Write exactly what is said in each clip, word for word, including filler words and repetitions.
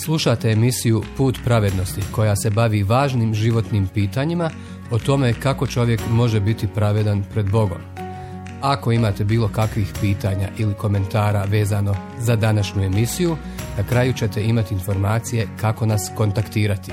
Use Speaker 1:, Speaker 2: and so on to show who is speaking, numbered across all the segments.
Speaker 1: Slušate emisiju Put pravednosti koja se bavi važnim životnim pitanjima o tome kako čovjek može biti pravedan pred Bogom. Ako imate bilo kakvih pitanja ili komentara vezano za današnju emisiju, na kraju ćete imati informacije kako nas kontaktirati.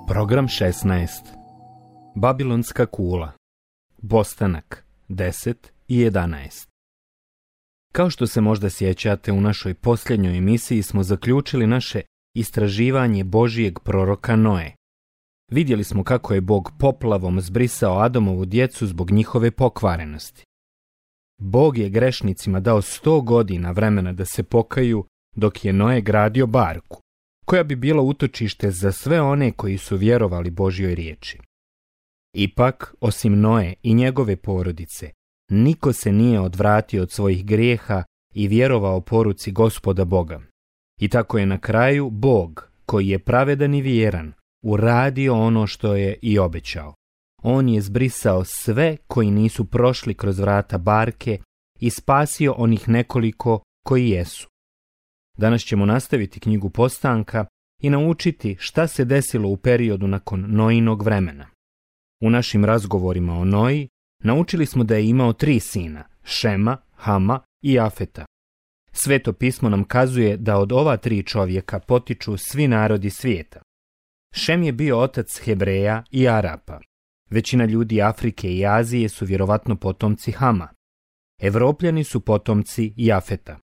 Speaker 2: Program šesnaest. Babilonska kula. Bostanak deset i jedanaest. Kao što se možda sjećate, u našoj posljednjoj emisiji smo zaključili naše istraživanje Božijeg proroka Noe. Vidjeli smo kako je Bog poplavom zbrisao Adamovu djecu zbog njihove pokvarenosti. Bog je grešnicima dao sto godina vremena da se pokaju, dok je Noe gradio barku, koja bi bila utočište za sve one koji su vjerovali Božjoj riječi. Ipak, osim Noe i njegove porodice, niko se nije odvratio od svojih grijeha i vjerovao poruci Gospoda Boga. I tako je na kraju Bog, koji je pravedan i vjeran, uradio ono što je i obećao. On je zbrisao sve koji nisu prošli kroz vrata barke i spasio onih nekoliko koji jesu. Danas ćemo nastaviti knjigu Postanka i naučiti šta se desilo u periodu nakon Noinog vremena. U našim razgovorima o Noji naučili smo da je imao tri sina, Šema, Hama i Jafeta. Sveto pismo nam kazuje da od ova tri čovjeka potiču svi narodi svijeta. Šem je bio otac Hebreja i Arapa. Većina ljudi Afrike i Azije su vjerovatno potomci Hama. Evropljani su potomci Jafeta.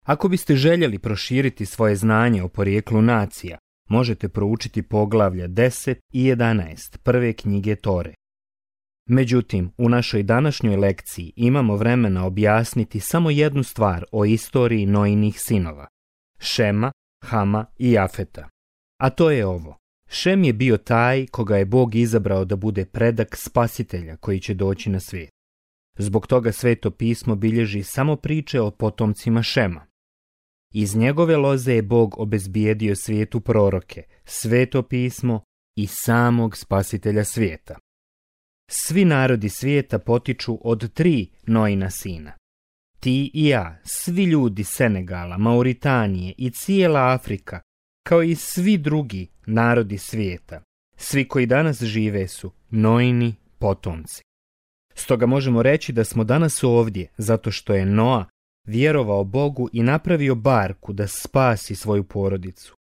Speaker 2: Ako biste željeli proširiti svoje znanje o porijeklu nacija, možete proučiti poglavlja deset i jedanaest prve knjige Tore. Međutim, u našoj današnjoj lekciji imamo vremena objasniti samo jednu stvar o istoriji Noinih sinova, Šema, Hama i Jafeta. A to je ovo. Šem je bio taj koga je Bog izabrao da bude predak spasitelja koji će doći na svijet. Zbog toga Sveto pismo bilježi samo priče o potomcima Šema. Iz njegove loze je Bog obezbijedio svijetu proroke, Sveto pismo i samog spasitelja svijeta. Svi narodi svijeta potiču od tri Noina sina. Ti i ja, svi ljudi Senegala, Mauritanije i cijela Afrika, kao i svi drugi narodi svijeta, svi koji danas žive su Noini potomci. Stoga možemo reći da smo danas ovdje zato što je Noa vjerovao Bogu i napravio barku da spasi svoju porodicu.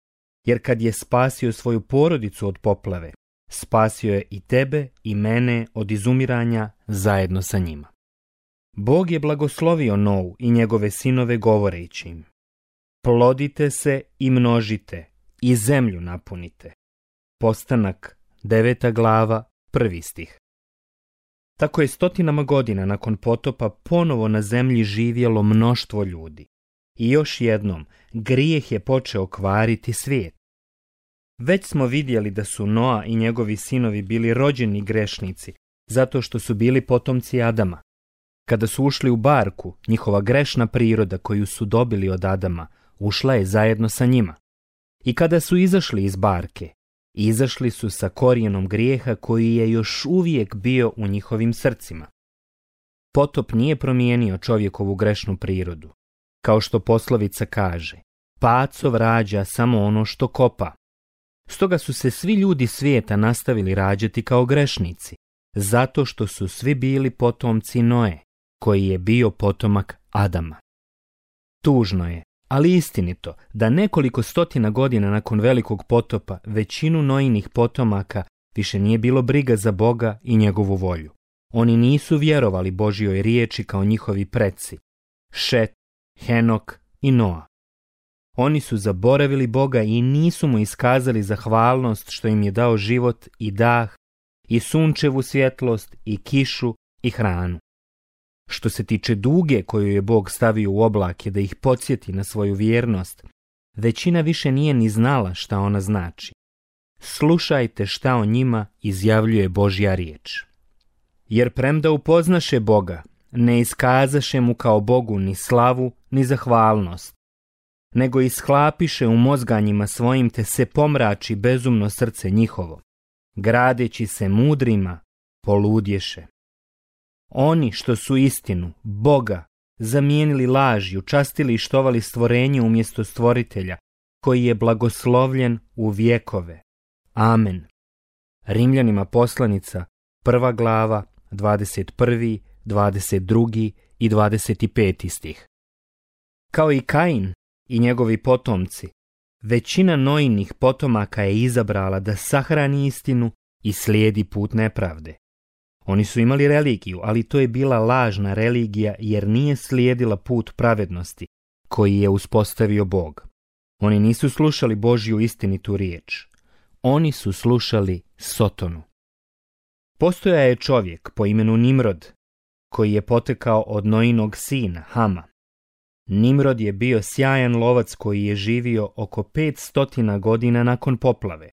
Speaker 2: Jer kad je spasio svoju porodicu od poplave, spasio je i tebe i mene od izumiranja zajedno sa njima. Bog je blagoslovio Nou i njegove sinove govoreći im: plodite se i množite i zemlju napunite. Postanak deveta glava, prvi stih. Tako je stotinama godina nakon potopa ponovo na zemlji živjelo mnoštvo ljudi. I još jednom, grijeh je počeo kvariti svijet. Već smo vidjeli da su Noa i njegovi sinovi bili rođeni grešnici, zato što su bili potomci Adama. Kada su ušli u barku, njihova grešna priroda koju su dobili od Adama, ušla je zajedno sa njima. I kada su izašli iz barke, izašli su sa korijenom grijeha koji je još uvijek bio u njihovim srcima. Potop nije promijenio čovjekovu grešnu prirodu. Kao što poslovica kaže, pacov rađa samo ono što kopa. Stoga su se svi ljudi svijeta nastavili rađati kao grešnici, zato što su svi bili potomci Noe, koji je bio potomak Adama. Tužno je, ali istinito, da nekoliko stotina godina nakon velikog potopa većinu Noinih potomaka više nije bilo briga za Boga i njegovu volju. Oni nisu vjerovali Božjoj riječi kao njihovi preci, Šet, Henok i Noa. Oni su zaboravili Boga i nisu mu iskazali zahvalnost što im je dao život i dah, i sunčevu svjetlost, i kišu, i hranu. Što se tiče duge koju je Bog stavio u oblake da ih podsjeti na svoju vjernost, većina više nije ni znala šta ona znači. Slušajte šta o njima izjavljuje Božja riječ. Jer premda upoznaše Boga, ne iskazaše mu kao Bogu ni slavu, ni zahvalnost. nego ishlapiše u mozganjima svojim, te se pomrači bezumno srce njihovo. Gradeći se mudrima, poludješe. Oni što su istinu, Boga, zamijenili lažju, častili i štovali stvorenje umjesto stvoritelja, koji je blagoslovljen u vjekove. Amen. Rimljanima poslanica, prva glava, dvadeset prvi, dvadeset drugi i dvadeset peti stih. Kao i Kain i njegovi potomci, većina Nojinih potomaka je izabrala da sahrani istinu i slijedi put nepravde. Oni su imali religiju, ali to je bila lažna religija jer nije slijedila put pravednosti koji je uspostavio Bog. Oni nisu slušali Božju istinitu riječ. Oni su slušali Sotonu. Postoja je čovjek po imenu Nimrod, koji je potekao od Nojinog sina, Hama. Nimrod je bio sjajan lovac koji je živio oko petstotina godina nakon poplave.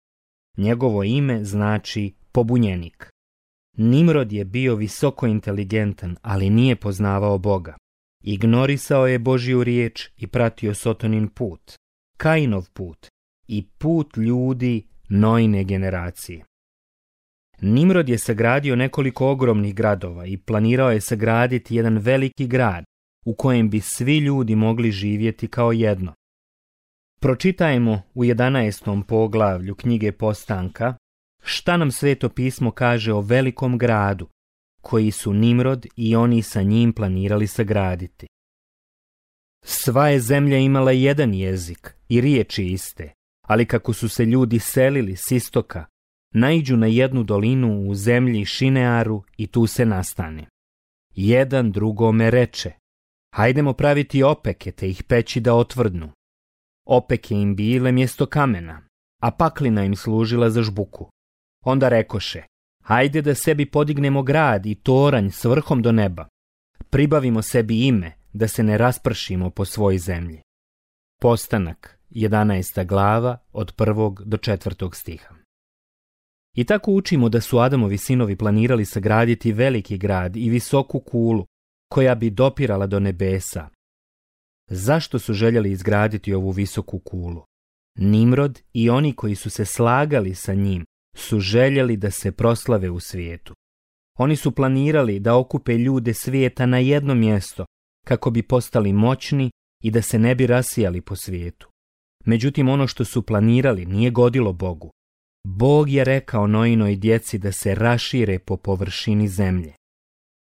Speaker 2: Njegovo ime znači pobunjenik. Nimrod je bio visoko inteligentan, ali nije poznavao Boga. Ignorisao je Božju riječ i pratio Sotonin put, Kainov put i put ljudi Noine generacije. Nimrod je sagradio nekoliko ogromnih gradova i planirao je sagraditi jedan veliki grad u kojem bi svi ljudi mogli živjeti kao jedno. Pročitajmo u jedanaestom poglavlju knjige Postanka šta nam Sveto pismo kaže o velikom gradu koji su Nimrod i oni sa njim planirali sagraditi. Sva je zemlja imala jedan jezik i riječi iste, ali kako su se ljudi selili s istoka, naiđu na jednu dolinu u zemlji Šinearu i tu se nastane. Jedan drugome reče: hajdemo praviti opeke te ih peći da otvrdnu. Opeke im bile mjesto kamena, a paklina im služila za žbuku. Onda rekoše: hajde da sebi podignemo grad i toranj s vrhom do neba. Pribavimo sebi ime, da se ne raspršimo po svoj zemlji. Postanak, jedanaesta glava, od prvog do četvrtog stiha. I tako učimo da su Adamovi sinovi planirali sagraditi veliki grad i visoku kulu, koja bi dopirala do nebesa. Zašto su željeli izgraditi ovu visoku kulu? Nimrod i oni koji su se slagali sa njim su željeli da se proslave u svijetu. Oni su planirali da okupe ljude svijeta na jedno mjesto, kako bi postali moćni i da se ne bi rasijali po svijetu. Međutim, ono što su planirali nije godilo Bogu. Bog je rekao Noinoj djeci da se rašire po površini zemlje.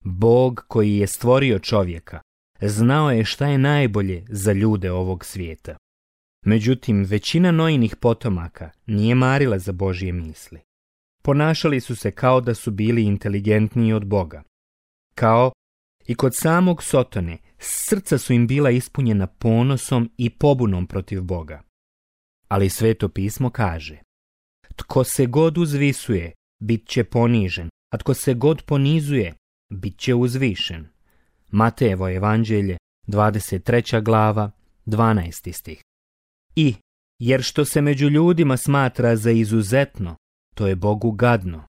Speaker 2: Bog koji je stvorio čovjeka znao je šta je najbolje za ljude ovog svijeta. Međutim, većina Noinih potomaka nije marila za Božje misli. Ponašali su se kao da su bili inteligentniji od Boga. Kao i kod samog Sotone, srca su im bila ispunjena ponosom i pobunom protiv Boga. Ali Sveto pismo kaže: tko se god uzvisuje, bit će ponižen, a tko se god ponizuje, bit će uzvišen. Matejevo evanđelje, dvadeset treća glava, dvanaesti stih. I, jer što se među ljudima smatra za izuzetno, to je Bogu gadno.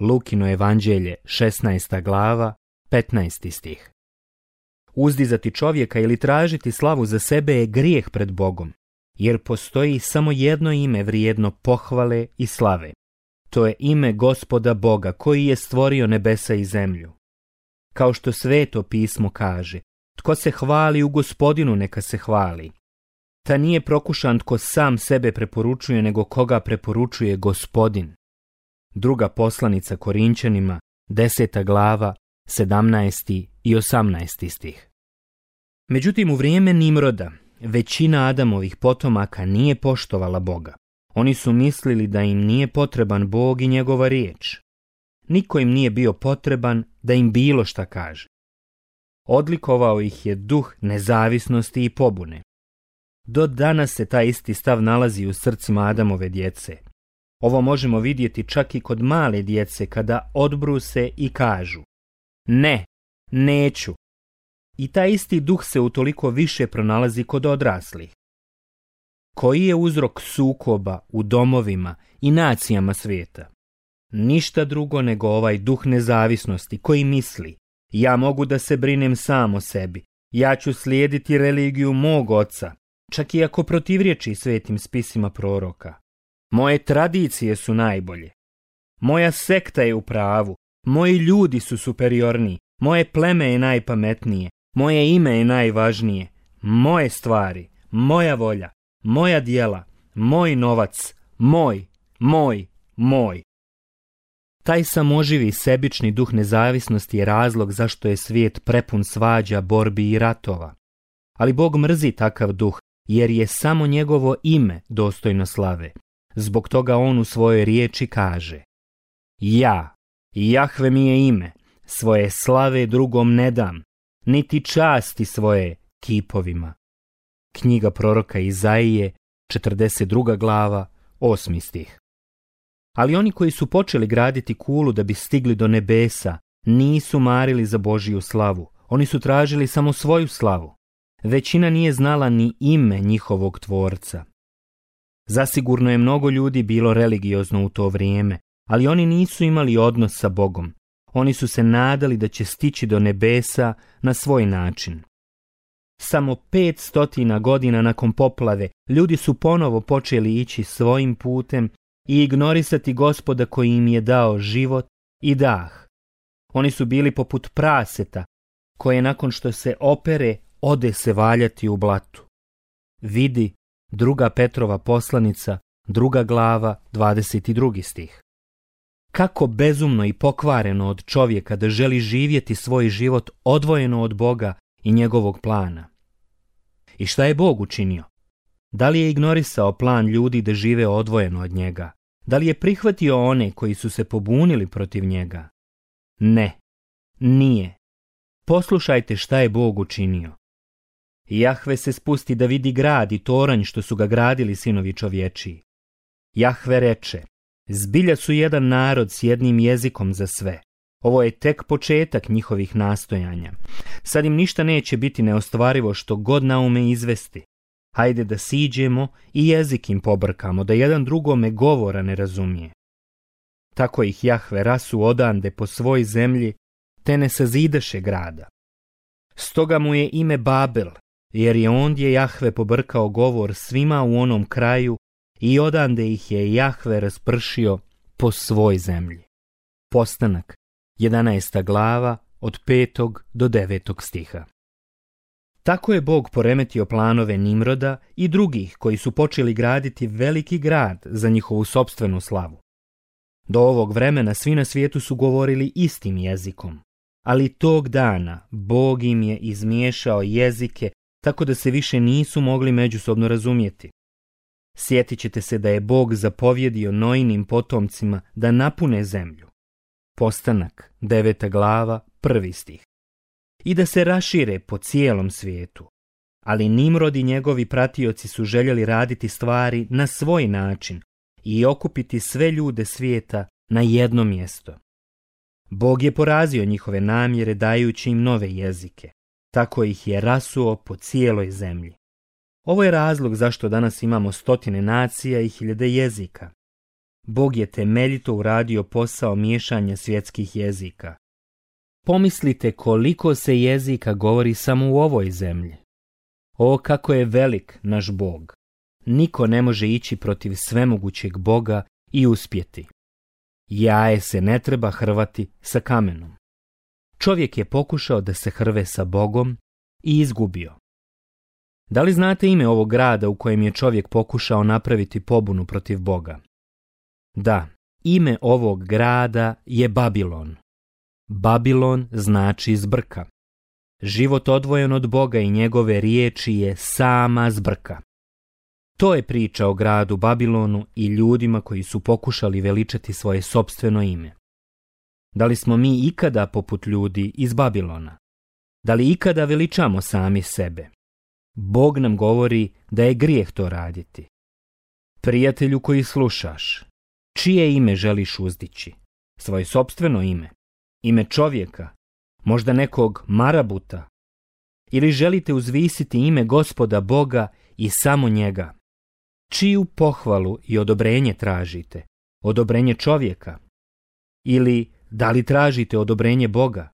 Speaker 2: Lukino evanđelje, šesnaesta glava, petnaesti stih. Uzdizati čovjeka ili tražiti slavu za sebe je grijeh pred Bogom, jer postoji samo jedno ime vrijedno pohvale i slave. To je ime Gospoda Boga koji je stvorio nebesa i zemlju. Kao što Sveto pismo kaže: tko se hvali u Gospodinu, neka se hvali. Ta nije prokušan tko sam sebe preporučuje, nego koga preporučuje Gospodin. Druga poslanica Korinčanima, deseta glava, sedamnaesti i osamnaesti stih. Međutim, u vrijeme Nimroda, većina Adamovih potomaka nije poštovala Boga. Oni su mislili da im nije potreban Bog i njegova riječ. Niko im nije bio potreban da im bilo šta kaže. Odlikovao ih je duh nezavisnosti i pobune. Do danas se taj isti stav nalazi u srcima Adamove djece. Ovo možemo vidjeti čak i kod male djece kada odbruse i kažu: ne, neću. I taj isti duh se utoliko više pronalazi kod odraslih. Koji je uzrok sukoba u domovima i nacijama svijeta? Ništa drugo nego ovaj duh nezavisnosti koji misli: ja mogu da se brinem sam o sebi, ja ću slijediti religiju mog oca, čak i ako protivriječi svetim spisima proroka. Moje tradicije su najbolje. Moja sekta je u pravu. Moji ljudi su superiorniji. Moje pleme je najpametnije. Moje ime je najvažnije. Moje stvari, moja volja, moja djela, moj novac, moj, moj, moj. Taj samoživi sebični duh nezavisnosti je razlog zašto je svijet prepun svađa, borbi i ratova. Ali Bog mrzi takav duh, jer je samo njegovo ime dostojno slave. Zbog toga on u svojoj riječi kaže: Ja, Jahve mi je ime, svoje slave drugom ne dam, niti časti svoje kipovima. Knjiga proroka Izaije, četrdeset druga glava, osmi stih. Ali oni koji su počeli graditi kulu da bi stigli do nebesa, nisu marili za Božiju slavu. Oni su tražili samo svoju slavu. Većina nije znala ni ime njihovog tvorca. Zasigurno je mnogo ljudi bilo religiozno u to vrijeme, ali oni nisu imali odnos sa Bogom. Oni su se nadali da će stići do nebesa na svoj način. Samo pet stotina godina nakon poplave, ljudi su ponovo počeli ići svojim putem i ignorisati Gospoda koji im je dao život i dah. Oni su bili poput praseta, koje nakon što se opere, ode se valjati u blatu. Vidi druga Petrova poslanica, druga glava, dvadeset drugi stih. Kako bezumno i pokvareno od čovjeka da želi živjeti svoj život odvojeno od Boga i njegovog plana. I šta je Bog učinio? Da li je ignorisao plan ljudi da žive odvojeno od njega? Da li je prihvatio one koji su se pobunili protiv njega? Ne, nije. Poslušajte šta je Bog učinio. Jahve se spusti da vidi grad i toranj što su ga gradili sinovi čovječiji. Jahve reče: Zbilja su jedan narod s jednim jezikom za sve. Ovo je tek početak njihovih nastojanja. Sad im ništa neće biti neostvarivo što god naume izvesti. Hajde da siđemo i jezik im pobrkamo, da jedan drugome govora ne razumije. Tako ih Jahve rasu odande po svoj zemlji, te ne sazidaše grada. Stoga mu je ime Babel, jer je ondje Jahve pobrkao govor svima u onom kraju i odande ih je Jahve raspršio po svoj zemlji. Postanak, jedanaesta glava, od petog do devetog stiha. Tako je Bog poremetio planove Nimroda i drugih koji su počeli graditi veliki grad za njihovu sopstvenu slavu. Do ovog vremena svi na svijetu su govorili istim jezikom, ali tog dana Bog im je izmiješao jezike tako da se više nisu mogli međusobno razumjeti. Sjetit ćete se da je Bog zapovjedio Noinim potomcima da napune zemlju. Postanak, deveta glava, prvi stih. I da se rašire po cijelom svijetu. Ali Nimrod i njegovi pratioci su željeli raditi stvari na svoj način i okupiti sve ljude svijeta na jedno mjesto. Bog je porazio njihove namjere dajući im nove jezike. Tako ih je rasuo po cijeloj zemlji. Ovo je razlog zašto danas imamo stotine nacija i hiljade jezika. Bog je temeljito uradio posao miješanja svjetskih jezika. Pomislite koliko se jezika govori samo u ovoj zemlji. O, kako je velik naš Bog! Niko ne može ići protiv svemogućeg Boga i uspjeti. Jaje se ne treba hrvati sa kamenom. Čovjek je pokušao da se hrve sa Bogom i izgubio. Da li znate ime ovog grada u kojem je čovjek pokušao napraviti pobunu protiv Boga? Da, ime ovog grada je Babilon. Babilon znači zbrka. Život odvojen od Boga i njegove riječi je sama zbrka. To je priča o gradu Babilonu i ljudima koji su pokušali veličati svoje sopstveno ime. Da li smo mi ikada poput ljudi iz Babilona? Da li ikada veličamo sami sebe? Bog nam govori da je grijeh to raditi. Prijatelju koji slušaš, čije ime želiš uzdići? Svoje sopstveno ime? Ime čovjeka? Možda nekog marabuta? Ili želite uzvisiti ime Gospoda Boga i samo njega? Čiju pohvalu i odobrenje tražite? Odobrenje čovjeka? Ili da li tražite odobrenje Boga?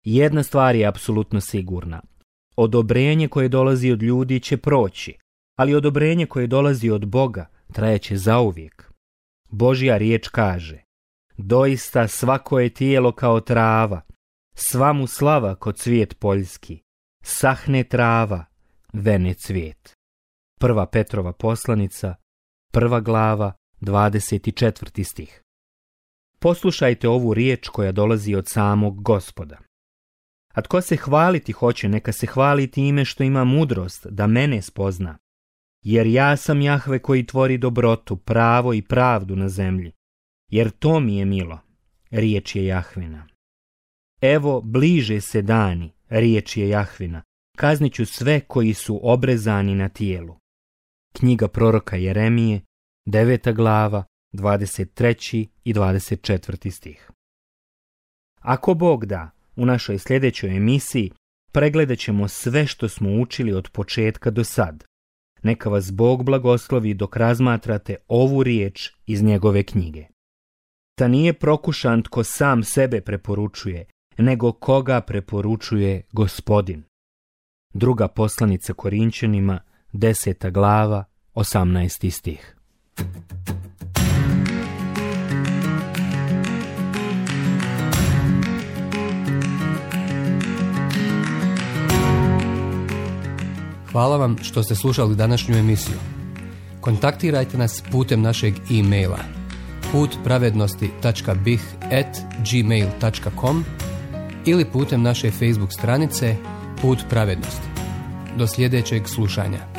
Speaker 2: Jedna stvar je apsolutno sigurna. Odobrenje koje dolazi od ljudi će proći, ali odobrenje koje dolazi od Boga trajeće zauvijek. Božja riječ kaže: doista svako je tijelo kao trava, sva mu slava ko cvijet poljski, sahne trava, vene cvijet. Prva Petrova poslanica, prva glava, dvadeset četvrti stih. Poslušajte ovu riječ koja dolazi od samog Gospoda. A tko se hvaliti hoće, neka se hvali time što ima mudrost da mene spozna. Jer ja sam Jahve koji tvori dobrotu, pravo i pravdu na zemlji. Jer to mi je milo, riječ je Jahvina. Evo, bliže se dani, riječ je Jahvina, kaznit ću sve koji su obrezani na tijelu. Knjiga proroka Jeremije, deveta glava, dvadeset treći i dvadeset četvrti stih. Ako Bog da, u našoj sljedećoj emisiji pregledat ćemo sve što smo učili od početka do sad. Neka vas Bog blagoslovi dok razmatrate ovu riječ iz njegove knjige. Ta nije prokušan tko sam sebe preporučuje, nego koga preporučuje Gospodin. Druga poslanica Korinćanima, deseta glava, osamnaesti stih.
Speaker 1: Hvala vam što ste slušali današnju emisiju. Kontaktirajte nas putem našeg e-maila put pravednosti tačka b i h at gmail tačka com ili putem naše Facebook stranice Put pravednosti. Do sljedećeg slušanja.